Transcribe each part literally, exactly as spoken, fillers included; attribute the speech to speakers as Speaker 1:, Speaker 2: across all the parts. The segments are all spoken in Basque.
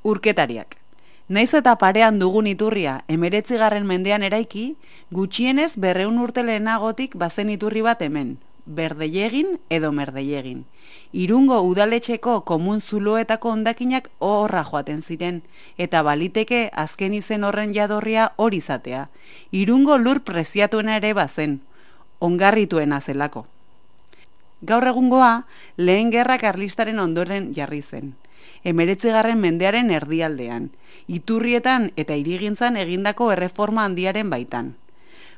Speaker 1: Urketariak. Naiz eta parean dugun iturria emeretzigarren mendean eraiki, gutxienez berreun urte lehenagotik bazen iturri bat hemen, Berdeiegin edo Merdeiegin. Irungo udaletxeko komun zuloetako hondakinak horra joaten ziren, eta baliteke azken izen horren jadorria hori izatea. Irungo lur preziatuena ere bazen, ongarrituena zelako. Gaur egungoa, lehen gerra karlistaren ondoren jarri zen. Emeretzigarren mendearen erdialdean, iturrietan eta hirigintzan egindako erreforma handiaren baitan.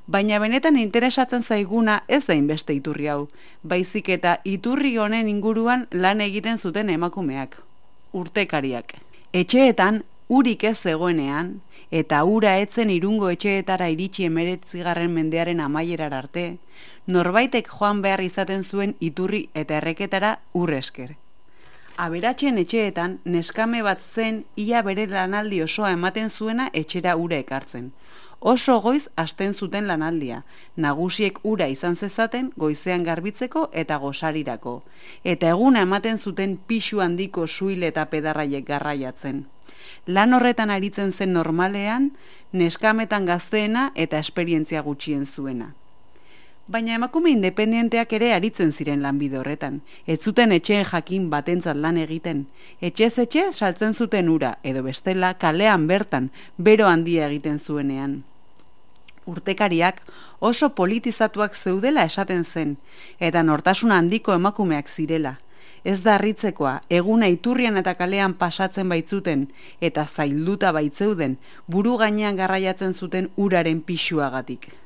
Speaker 1: Baina benetan interesatzen zaiguna ez da inbeste iturri hau, baizik eta iturri honen inguruan lan egiten zuten emakumeak, urtekariak. Etxeetan, urik ez zegoenean, eta ura etzen Irungo etxeetara iritsi emeretzigarren mendearen amaierar arte, norbaitek joan behar izaten zuen iturri eta erreketara ur esker. Aberatsen etxeetan neskame bat zen ia bere lanaldi osoa ematen zuena etxera ura ekartzen. Oso goiz hasten zuten lanaldia, nagusiek ura izan zezaten goizean garbitzeko eta gosarirako, eta eguna ematen zuten pixu handiko suil eta pedarraiek garraiatzen. Lan horretan aritzen zen normalean, neskametan gazteena eta esperientzia gutxien zuena. Baina emakume independenteak ere aritzen ziren lanbide horretan. Ez zuten etxeen jakin batentzat lan egiten. Etxez etxe saltzen zuten ura, edo bestela kalean bertan, bero handia egiten zuenean. Urtekariak oso politizatuak zeudela esaten zen, eta nortasun handiko emakumeak zirela. Ez da harritzekoa, eguna iturrian eta kalean pasatzen baitzuten, eta zailduta baitzeuden, buru gainean garraiatzen zuten uraren pixuagatik.